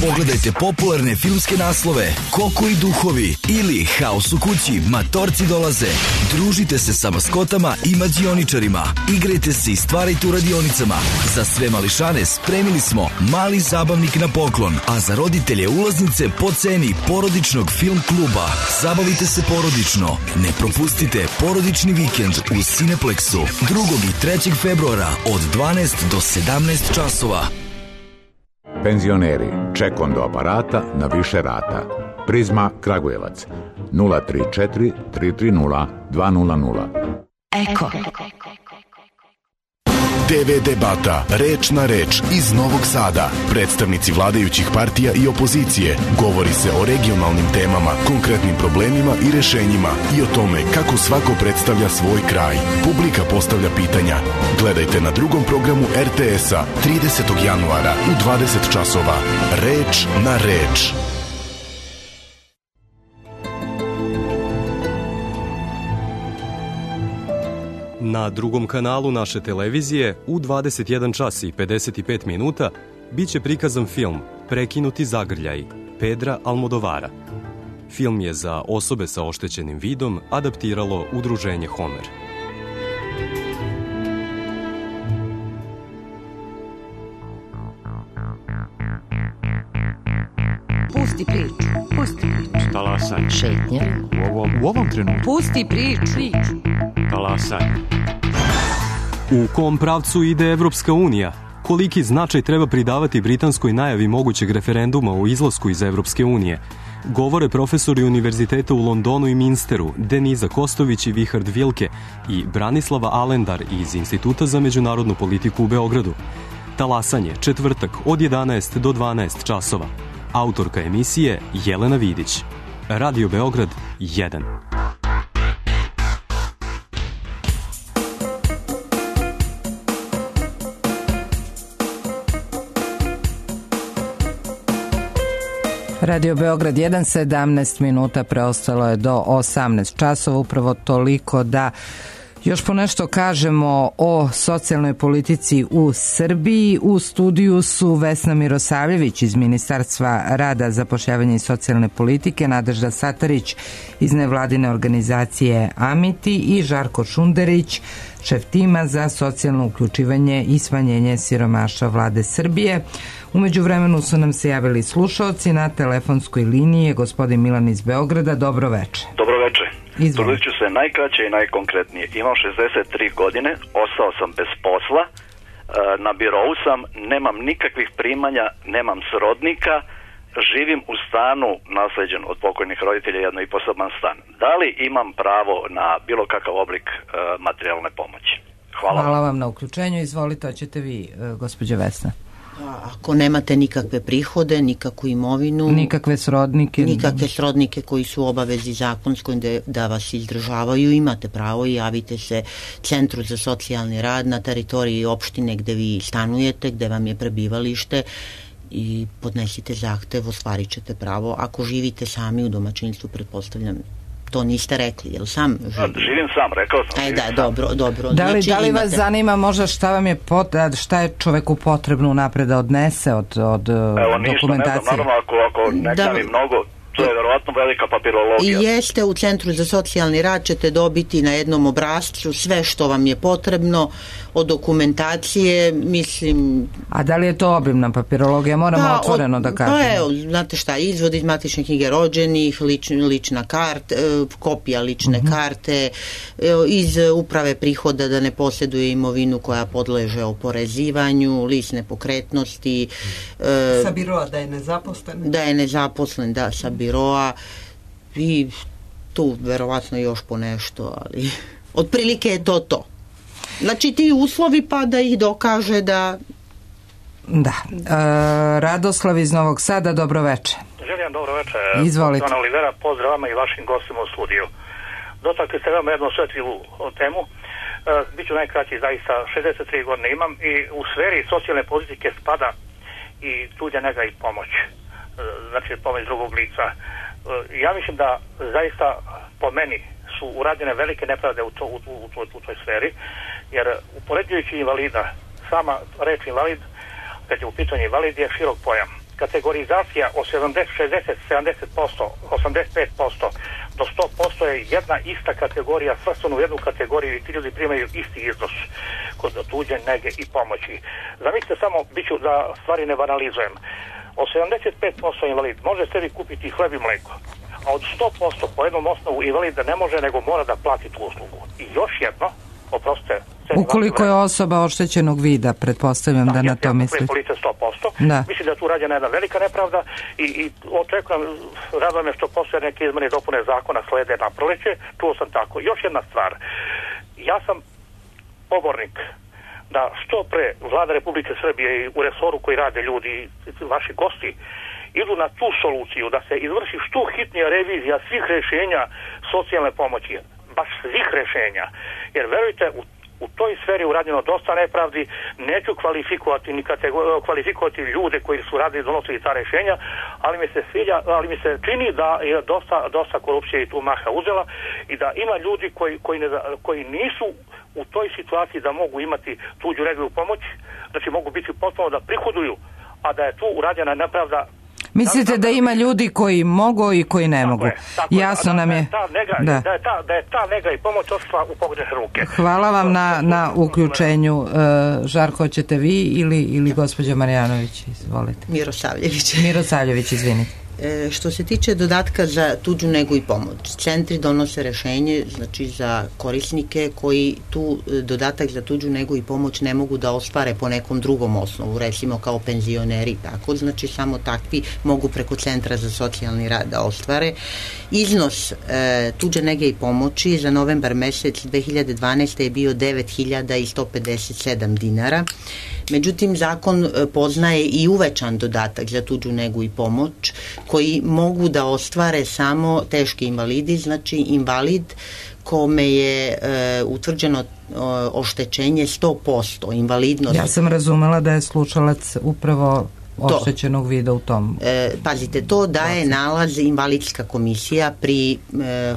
M: Pogledajte popularne filmske naslove Koko i duhovi ili Haos u kući, Matorci dolaze. Družite se sa maskotama i mađioničarima. Igrajte se i stvarajte u radionicama. Za sve mališane spremili smo mali zabavnik na poklon, a za roditelje ulaznice po ceni porodičnog film kluba. Zabavite se porodično. Ne propustite porodični vikend u Cineplexu drugog i trećeg februara od dvanaest do sedamnaest časova.
N: Penzioneri, čekom do aparata na više rata. Prizma Kragujevac nula tri četiri tri tri nula dva nula nula.
G: Eko.
O: T V debata Reč na reč iz Novog Sada. Predstavnici vladajućih partija i opozicije. Govori se o regionalnim temama, konkretnim problemima i rešenjima i o tome kako svako predstavlja svoj kraj. Publika postavlja pitanja. Gledajte na drugom programu R T S-a tridesetog januara u dvadeset časova. Reč na reč.
P: Na drugom kanalu naše televizije u dvadeset jedan čas i pedeset pet minuta biće prikazan film Prekinuti zagrljaj Pedra Almodovara. Film je za osobe sa oštećenim vidom adaptiralo udruženje Homer.
A: Pusti priču, pusti priču.
Q: Talasanje.
A: Šetnja.
Q: U ovom, u ovom trenutku.
A: Pusti priču.
Q: Talasanje.
P: U kom pravcu ide Evropska unija? Koliki značaj treba pridavati britanskoj najavi mogućeg referenduma o izlasku iz Evropske unije? Govore profesori univerziteta u Londonu i Minsteru, Deniza Kostović i Vihard Vilke i Branislava Alendar iz Instituta za međunarodnu politiku u Beogradu. Talasanje, četvrtak od jedanaest do dvanaest časova. Autorka emisije Jelena Vidić. Radio Beograd jedan.
B: Radio Beograd jedan, sedamnaest minuta preostalo je do osamnaest časova, upravo toliko da još ponešto kažemo o socijalnoj politici u Srbiji. U studiju su Vesna Mirosavljević iz Ministarstva rada, zapošljavanja i socijalne politike, Nadežda Satarić iz nevladine organizacije Amiti i Žarko Šunderić, šef tima za socijalno uključivanje i smanjenje siromaštva Vlade Srbije. Umeđu vremenu su nam se javili slušaoci. Na telefonskoj liniji je gospodin Milan iz Beograda. Dobro veče.
R: Dobro veče. Trudit ću se najkraće i najkonkretnije. Imam šezdeset tri godine, ostao sam bez posla, na birou sam, nemam nikakvih primanja, nemam srodnika, živim u stanu nasleđen od pokojnih roditelja, jedno i poseban stan. Da li imam pravo na bilo kakav oblik materijalne pomoći? Hvala,
B: Hvala vam na uključenju. Izvolite, hoćete vi, gospođo Vesna.
C: Ako nemate nikakve prihode, nikakvu imovinu,
B: nikakve srodnike,
C: nikakve srodnike koji su obavezi zakonskoj da, da vas izdržavaju, imate pravo i javite se Centru za socijalni rad na teritoriji opštine gde vi stanujete, gde vam je prebivalište i podnesite zahtev, ostvarit ćete pravo. Ako živite sami u domaćinstvu, pretpostavljam, to niste rekli, jel sam živi?
R: Živim sam, rekao sam.
C: Aj, da, dobro, dobro.
B: Da li,
C: znači,
B: da li vas
C: imate...
B: zanima možda šta vam je pot, šta je čoveku potrebno napred da odnese od, od
R: Evo,
B: dokumentacije?
R: Evo, ništa, ne znam, naravno, ako, ako ne da... mi mnogo, to je verovatno velika papirologija.
C: I jeste, u Centru za socijalni rad ćete dobiti na jednom obrascu sve što vam je potrebno od dokumentacije, mislim...
B: A da li je to obimna papirologija? Moramo da, otvoreno od, da kažemo.
C: Pa evo, znate šta, izvod iz matične knjige rođenih, lič, lična karta, kopija lične uh-huh. karte, iz uprave prihoda da ne posjeduje imovinu koja podleže oporezivanju, list nepokretnosti.
D: Sa biroa da je nezaposlen?
C: Da je nezaposlen, da, sa biroa i tu verovatno još po nešto, ali otprilike je to to. Znači ti uslovi pa da ih dokaže da...
B: Da. E, Radoslav iz Novog Sada, dobro veče.
S: Želim dobro veče.
B: Izvolite.
S: Ana Olivera, pozdrav vama i vašim gostima u studiju. Dotakli ste veoma jednu osjetljivu temu. E, Biću najkraći, zaista šezdeset tri godine imam i u sferi socijalne politike spada i tuđa nega i pomoć. E, znači pomoć drugog lica. E, ja mislim da zaista po meni su urađene velike nepravde u, to, u, u, u, u toj sferi, jer upoređujući invalida, sama reč invalid, kad je u pitanju invalid, je širok pojam. Kategorizacija od sedamdeset, šezdeset, sedamdeset posto, osamdeset pet posto do sto posto je jedna ista kategorija, svrstana u jednu kategoriju i ti ljudi primaju isti iznos kod tuđe nege i pomoći. Zamislite samo, biću da stvari ne banalizujem, od sedamdeset pet posto invalid može sebi kupiti hleb i mleko, a od sto posto po jednom osnovu invalid da ne može, nego mora da plati tu uslugu. I još jedno, oprostite...
B: Ukoliko je osoba oštećenog vida, pretpostavljam da, da na to misli.
S: Police sto posto.
B: Da.
S: Mislim da je tu rađena jedna velika nepravda i, i očekujem, raduje me što postoje neke izmene i dopune zakona slede na proleće, čuo sam tako. Još jedna stvar, ja sam pobornik da što pre Vlada Republike Srbije i u resoru koji rade ljudi, vaši gosti, idu na tu soluciju da se izvrši što hitnija revizija svih rešenja socijalne pomoći, baš svih rešenja, jer verujte, u, u toj sferi urađeno dosta nepravdi, neću kvalifikovati ni kategor- kvalifikovati ljude koji su radili, donosili ta rešenja, ali mi se svilja, ali mi se čini da je dosta, dosta korupcije i tu maha uzela i da ima ljudi koji, koji, ne, koji nisu u toj situaciji da mogu imati tuđu negu pomoć, znači mogu biti potpuno da prihoduju, a da je tu urađena nepravda.
B: Mislite da ima ljudi koji mogu i koji ne
S: tako
B: mogu?
S: Je,
B: Jasno
S: je, da,
B: nam je.
S: Da, nega,
B: da.
S: Da, je ta, da je ta nega i pomoć ošla u pogodne ruke.
B: Hvala vam na, na uključenju. Uh, Žarko, hoćete vi ili, ili gospođa Marjanović? Izvolite.
C: Mirosavljević.
B: Mirosavljević, izvinite.
C: E, što se tiče dodatka za tuđu negu i pomoć, centri donose rešenje, znači za korisnike koji tu dodatak za tuđu negu i pomoć ne mogu da ostvare po nekom drugom osnovu, recimo kao penzioneri, tako, znači samo takvi mogu preko Centra za socijalni rad da ostvare. Iznos e, tuđe nege i pomoći za novembar mesec dve hiljade dvanaeste. je bio devet hiljada sto pedeset sedam dinara. Međutim, zakon poznaje i uvećan dodatak za tuđu negu i pomoć koji mogu da ostvare samo teški invalidi, znači invalid kome je e, utvrđeno e, oštećenje sto posto invalidnost.
B: Ja sam razumela da je slušalac upravo oštećenog vida u tom.
C: E, pazite, to daje nalaz invalidska komisija pri e,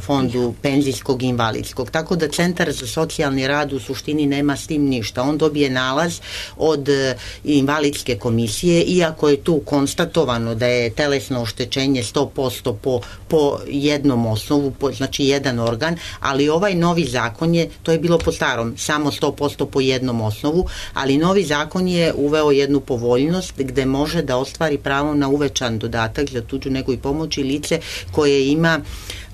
C: fondu penzijskog i invalidskog. Tako da Centar za socijalni rad u suštini nema s tim ništa. On dobije nalaz od e, invalidske komisije, iako je tu konstatovano da je telesno oštećenje sto posto po, po jednom osnovu, po, znači jedan organ, ali ovaj novi zakon je, to je bilo po starom, samo sto posto po jednom osnovu, ali novi zakon je uveo jednu povoljnost gde može može da ostvari pravo na uvećan dodatak za tuđu negu i pomoć i lice koje ima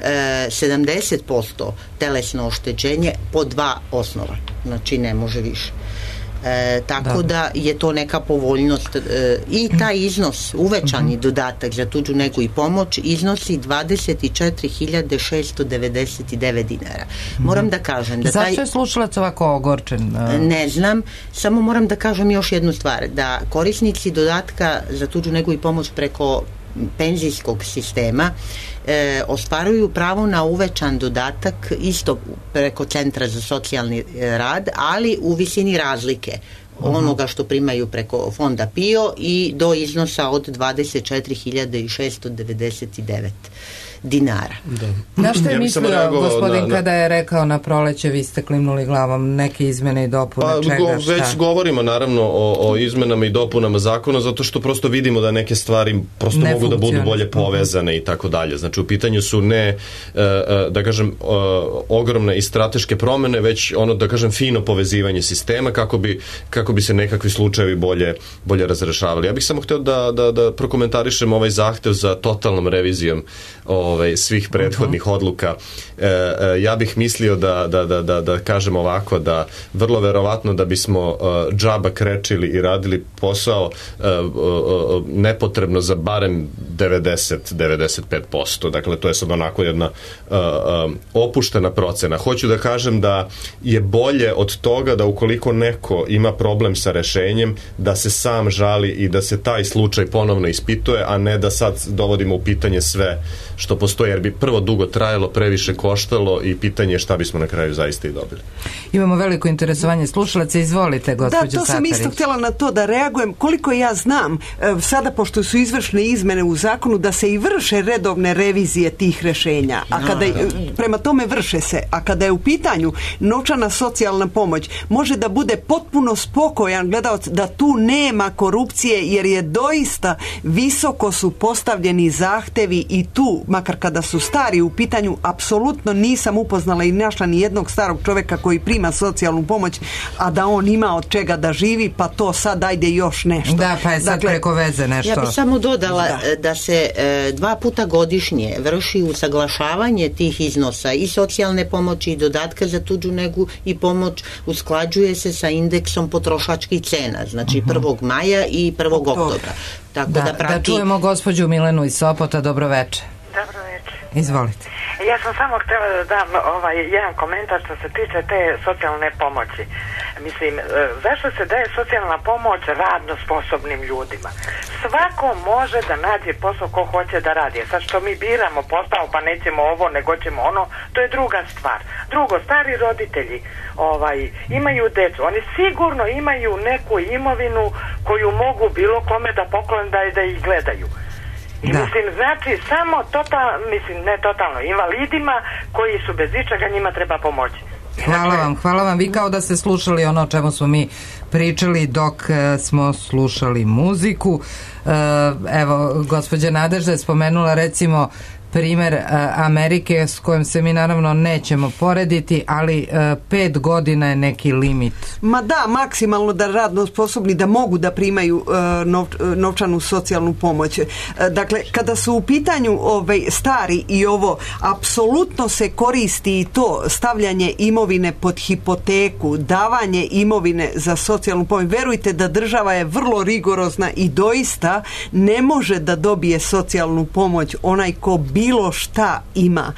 C: e, sedamdeset posto telesno oštećenje po dva osnova, znači ne može više. E, tako da. da je to neka povoljnost e, i taj iznos, uvećani dodatak za tuđu negu i pomoć iznosi dvadeset četiri hiljade šesto devedeset devet dinara. Moram da kažem da taj...
B: Zašto je slušalac ovako ogorčen?
C: Ne znam, samo moram da kažem još jednu stvar, da korisnici dodatka za tuđu negu i pomoć preko penzijskog sistema e, ostvaruju pravo na uvećan dodatak isto preko Centra za socijalni rad, ali u visini razlike onoga što primaju preko fonda P I O i do iznosa od dvadeset četiri hiljade šesto devedeset devet dinara.
B: Da. Na što je ja mislio gospodin na, na... kada je rekao na proleće, vi ste klimnuli glavom, neke izmene i dopune,
E: pa,
B: čega,
E: go,
B: šta?
E: Već govorimo naravno o, o izmenama i dopunama zakona, zato što prosto vidimo da neke stvari prosto ne mogu da budu bolje povezane i tako dalje. Znači u pitanju su ne, da kažem, ogromne i strateške promene, već ono, da kažem, fino povezivanje sistema kako bi, kako bi se nekakvi slučajevi bolje, bolje razrešavali. Ja bih samo hteo da, da, da prokomentarišem ovaj zahtev za totalnom revizijom Ove, svih prethodnih uh-huh. odluka. E, e, ja bih mislio da, da, da, da, da kažem ovako, da vrlo verovatno da bismo uh, džaba krečili i radili posao uh, uh, nepotrebno za barem devedeset do devedeset pet posto. Dakle, to je sad onako jedna uh, uh, opuštena procena. Hoću da kažem da je bolje od toga da ukoliko neko ima problem sa rešenjem, da se sam žali i da se taj slučaj ponovno ispituje, a ne da sad dovodimo u pitanje sve što postoji, jer bi prvo dugo trajalo, previše koštalo i pitanje je šta bismo na kraju zaista i dobili.
B: Imamo veliko interesovanje slušalaca, izvolite gospođo Satarić.
D: Da, to sam isto htjela na to da reagujem. Koliko ja znam, sada pošto su izvršne izmene u zakonu, da se i vrše redovne revizije tih rešenja, a kada prema tome vrše se, a kada je u pitanju novčana socijalna pomoć, može da bude potpuno spokojan gledalac da tu nema korupcije, jer je doista visoko su postavljeni zahtevi i tu, makar kada su stari u pitanju, apsolutno nisam upoznala i našla ni jednog starog čovjeka koji prima socijalnu pomoć, a da on ima od čega da živi, pa to sad ajde još nešto.
B: Da, pa je sad dakle, preko veze nešto.
C: Ja bih samo dodala da, da se e, dva puta godišnje vrši usaglašavanje tih iznosa i socijalne pomoći i dodatka za tuđu negu i pomoć, usklađuje se sa indeksom potrošačkih cena, znači uh-huh. prvog maja i prvog oktobra. Tako
B: da,
C: da, prati...
B: da čujemo gospođu Milenu iz Sopota. Dobro večer.
T: Dobro večer.
B: Izvolite.
T: Ja sam samo htjela da dam ovaj jedan komentar što se tiče te socijalne pomoći. Mislim, zašto se daje socijalna pomoć radno sposobnim ljudima? Svako može da nađe posao ko hoće da radi. Sad što mi biramo posao pa nećemo ovo, nego ćemo ono, to je druga stvar. Drugo, stari roditelji ovaj, imaju decu. Oni sigurno imaju neku imovinu koju mogu bilo kome da poklone da, da ih gledaju. I da. Mislim, znači, samo total, mislim, ne totalno, invalidima koji su bez ičega, njima treba pomoći.
B: Hvala vam, hvala vam. Vi kao da ste slušali ono o čemu smo mi pričali dok e, smo slušali muziku. E, evo, gospođa Nadežda je spomenula recimo primer Amerike s kojom se mi naravno nećemo porediti, ali pet godina je neki limit.
D: Ma da, maksimalno da radno sposobni da mogu da primaju nov, novčanu socijalnu pomoć. Dakle, kada su u pitanju ovaj, stari i ovo, apsolutno se koristi i to stavljanje imovine pod hipoteku, davanje imovine za socijalnu pomoć. Verujte da država je vrlo rigorozna i doista ne može da dobije socijalnu pomoć onaj ko bi bilo šta ima.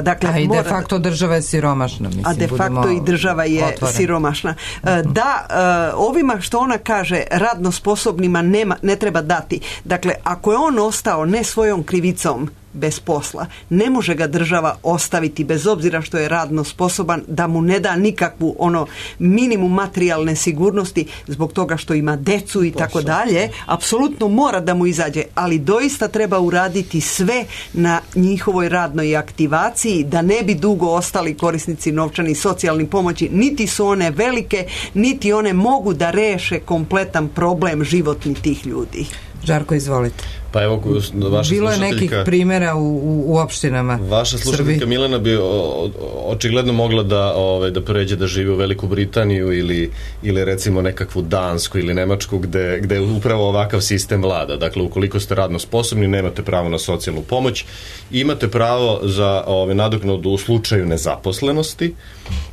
D: Dakle,
B: a i de facto država je siromašna. Mislim,
D: a de facto i država je
B: otvoren.
D: siromašna. Da, ovima što ona kaže radno sposobnima nema, ne treba dati. Dakle, ako je on ostao ne svojom krivicom bez posla, ne može ga država ostaviti bez obzira što je radno sposoban, da mu ne da nikakvu ono minimum materijalne sigurnosti zbog toga što ima decu i tako dalje. Apsolutno mora da mu izađe, ali doista treba uraditi sve na njihovoj radnoj aktivaciji da ne bi dugo ostali korisnici novčani socijalni pomoći, niti su one velike, niti one mogu da reše kompletan problem životni tih ljudi.
B: Žarko, izvolite.
E: Pa Pa evo, vaša
B: bilo je nekih primjera u, u, u opštinama
E: vaša slušateljka Milena bi o, o, očigledno mogla da, ove, da pređe da živi u Veliku Britaniju ili, ili recimo nekakvu Dansku ili Nemačku gde, gde upravo ovakav sistem vlada. Dakle, ukoliko ste radno sposobni, nemate pravo na socijalnu pomoć, imate pravo za ove, nadoknadu u slučaju nezaposlenosti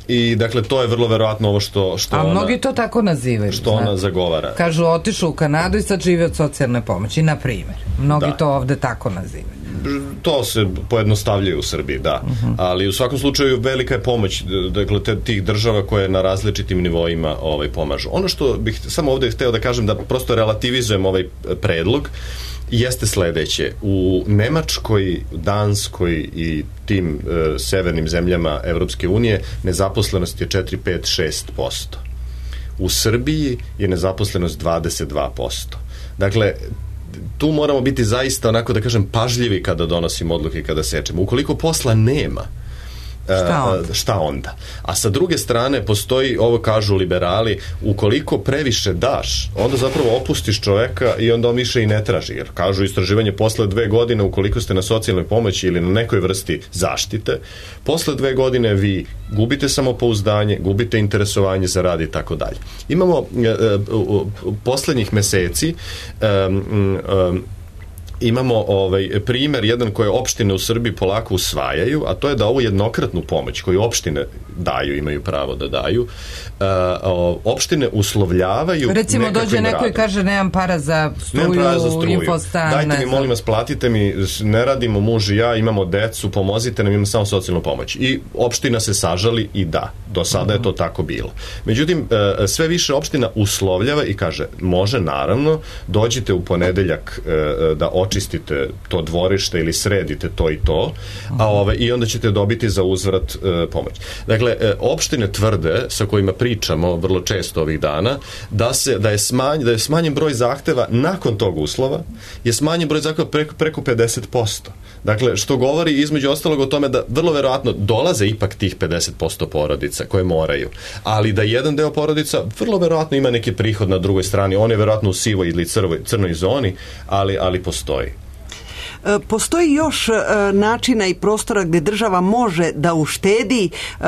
E: i dakle to je vrlo verovatno ovo što, što
B: a
E: ona,
B: mnogi to tako nazivaju,
E: što ona
B: znači
E: zagovara.
B: Kažu otišu u Kanadu i sad živi od socijalne pomoći, na primjer. Mnogi da. to ovde tako nazivaju.
E: To se pojednostavljaju u Srbiji, da. Uh-huh. Ali u svakom slučaju velika je pomoć, dakle, te, tih država koje na različitim nivoima ovaj, pomažu. Ono što bih samo ovde hteo da kažem, da prosto relativizujem ovaj predlog, jeste sledeće. U Nemačkoj, Danskoj i tim e, severnim zemljama Evropske unije nezaposlenost je četiri, pet, šest posto. U Srbiji je nezaposlenost dvadeset dva posto. Dakle, tu moramo biti zaista, onako da kažem, pažljivi kada donosimo odluke i kada sečemo. Ukoliko posla nema, Šta onda? šta onda? A sa druge strane postoji, ovo kažu liberali, ukoliko previše daš, onda zapravo opustiš čoveka i onda on više i ne traži, jer kažu istraživanje posle dve godine, ukoliko ste na socijalnoj pomoći ili na nekoj vrsti zaštite, posle dve godine vi gubite samopouzdanje, gubite interesovanje za rad i tako dalje. Imamo uh, uh, uh, poslednjih meseci um, um, imamo ovaj primer jedan koje opštine u Srbiji polako usvajaju, a to je da ovu jednokratnu pomoć koju opštine daju, imaju pravo da daju, uh, opštine uslovljavaju
B: recimo dođe neko radom. I kaže nemam para za struju, para za struju. Infostan,
E: dajte mi molim vas, platite mi, ne radimo muž i ja, imamo decu, pomozite nam, imamo samo socijalnu pomoć. I opština se sažali i da, do sada uh-huh. je to tako bilo. Međutim, uh, sve više opština uslovljava i kaže, može naravno, dođite u ponedeljak uh, da očistite to dvorište ili sredite to i to, a ove, i onda ćete dobiti za uzvrat e, pomoć. Dakle, e, opštine tvrde, sa kojima pričamo vrlo često ovih dana, da, se, da, je, smanj, da je smanjen broj zahteva nakon tog uslova, je smanjen broj zahteva preko, preko pedeset posto. Dakle, što govori između ostalog o tome da vrlo verovatno dolaze ipak tih pedeset posto porodica koje moraju, ali da jedan deo porodica vrlo verovatno ima neki prihod na drugoj strani, on je verovatno u sivoj ili crvoj, crnoj zoni, ali, ali postoji.
D: Postoji još uh, načina i prostora gdje država može da uštedi uh,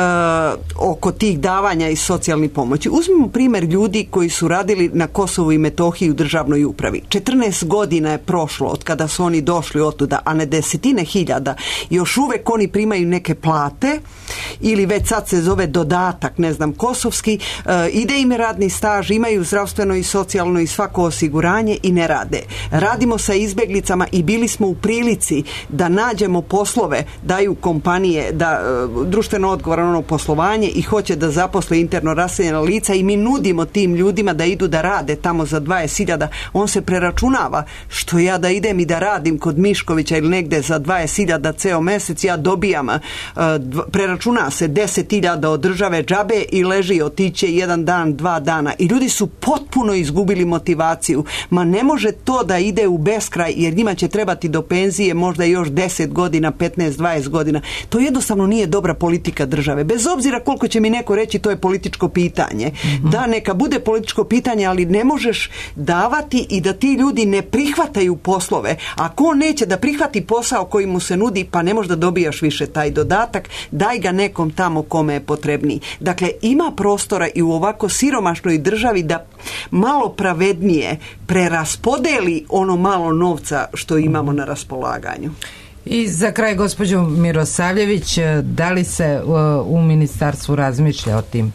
D: oko tih davanja i socijalnih pomoći. Uzmimo primjer ljudi koji su radili na Kosovu i Metohiji u državnoj upravi. četrnaest godina je prošlo od kada su oni došli otuda, a ne desetine hiljada. Još uvek oni primaju neke plate ili već sad se zove dodatak, ne znam, kosovski, uh, ide im radni staž, imaju zdravstveno i socijalno i svako osiguranje i ne rade. Radimo sa izbeglicama i bili smo u prilici da nađemo poslove, daju kompanije da uh, društveno odgovorno poslovanje i hoće da zaposle interno raseljena lica i mi nudimo tim ljudima da idu da rade tamo za dvadeset hiljada, on se preračunava, što ja da idem i da radim kod Miškovića ili negde za dvadeset hiljada ceo mesec, ja dobijam, uh, dv, preračuna se deset hiljada od države džabe i leži otiće jedan dan, dva dana i ljudi su potpuno izgubili motivaciju. Ma ne može to da ide u beskraj jer njima će trebati do penzije možda još deset godina, petnaest, dvadeset godina. To jednostavno nije dobra politika države. Bez obzira koliko će mi neko reći to je političko pitanje. Mm-hmm. Da, neka bude političko pitanje, ali ne možeš davati i da ti ljudi ne prihvataju poslove. Ako on neće da prihvati posao koji mu se nudi, pa ne možda dobijaš više taj dodatak, daj ga nekom tamo kome je potrebniji. Dakle, ima prostora i u ovako siromašnoj državi da malo pravednije preraspodeli ono malo novca što imamo na raspolaganju.
B: I za kraj, gospođo Mirosavljević, da li se uh, u ministarstvu razmišlja o tim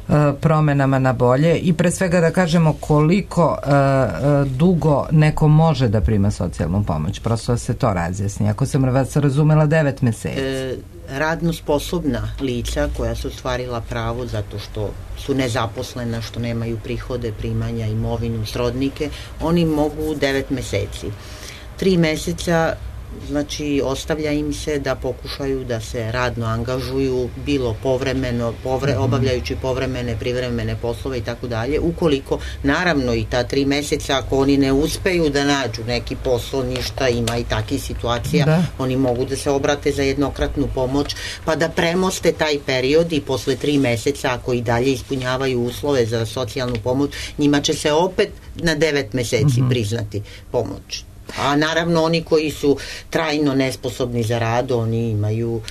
B: uh, promenama na bolje i pre svega da kažemo koliko uh, uh, dugo neko može da prima socijalnu pomoć, prosto da se to razjasni. Ako sam vas razumela, devet meseci.
C: E, radno sposobna lica koja su ostvarila pravo zato što su nezaposlena, što nemaju prihode, primanja, imovinu, srodnike, oni mogu devet meseci. Tri meseca znači ostavlja im se da pokušaju da se radno angažuju, bilo povremeno, povre, obavljajući povremene, privremene poslove i tako dalje, ukoliko naravno i ta tri meseca ako oni ne uspeju da nađu neki posao, ništa, ima i takih situacija, da. Oni mogu da se obrate za jednokratnu pomoć pa da premoste taj period i posle tri meseca ako i dalje ispunjavaju uslove za socijalnu pomoć, njima će se opet na devet meseci mm-hmm. priznati pomoć. A naravno oni koji su trajno nesposobni za rad, oni imaju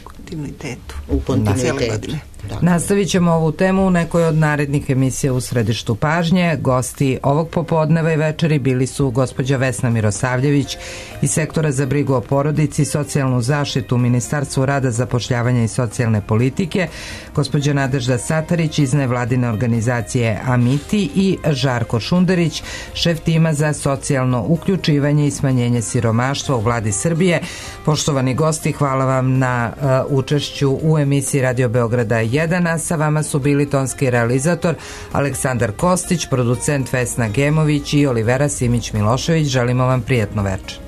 D: kontinuitetu.
C: U kontinuitetu.
B: Da. Nastavit ćemo ovu temu u nekoj od narednih emisija u Središtu pažnje. Gosti ovog popodneva i večeri bili su gospođa Vesna Mirosavljević iz Sektora za brigu o porodici i socijalnu zaštitu u Ministarstvu rada, zapošljavanja i socijalne politike, gospođa Nadežda Satarić iz nevladine organizacije Amiti i Žarko Šunderić, šef tima za socijalno uključivanje i smanjenje siromaštva u Vladi Srbije. Poštovani gosti, hvala vam na uh, učešću u emisiji Radio Beograda jedan, a sa vama su bili tonski realizator Aleksandar Kostić, producent Vesna Gemović i Olivera Simić Milošević. Želimo vam prijatno večer.